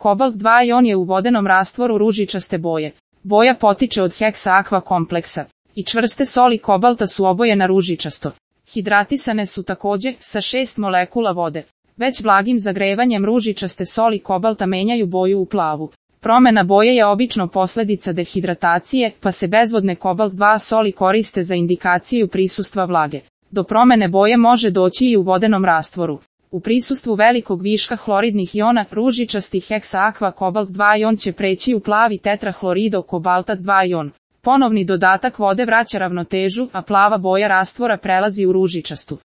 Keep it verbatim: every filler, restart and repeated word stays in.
Kobalt dva ion je u vodenom rastvoru ružičaste boje. Boja potiče od heksa aqua kompleksa. I čvrste soli kobalta su obojena ružičasto. Hidratisane su takođe sa šest molekula vode. Već blagim zagrevanjem ružičaste soli kobalta menjaju boju u plavu. Promena boje je obično posledica dehidratacije, pa se bezvodne kobalt dva soli koriste za indikaciju prisustva vlage. Do promene boje može doći i u vodenom rastvoru. U prisustvu velikog viška hloridnih iona, ružičasti heksa aqua kobalt dva ion će preći u plavi tetrahlorido kobalta dva ion. Ponovni dodatak vode vraća ravnotežu, a plava boja rastvora prelazi u ružičastu.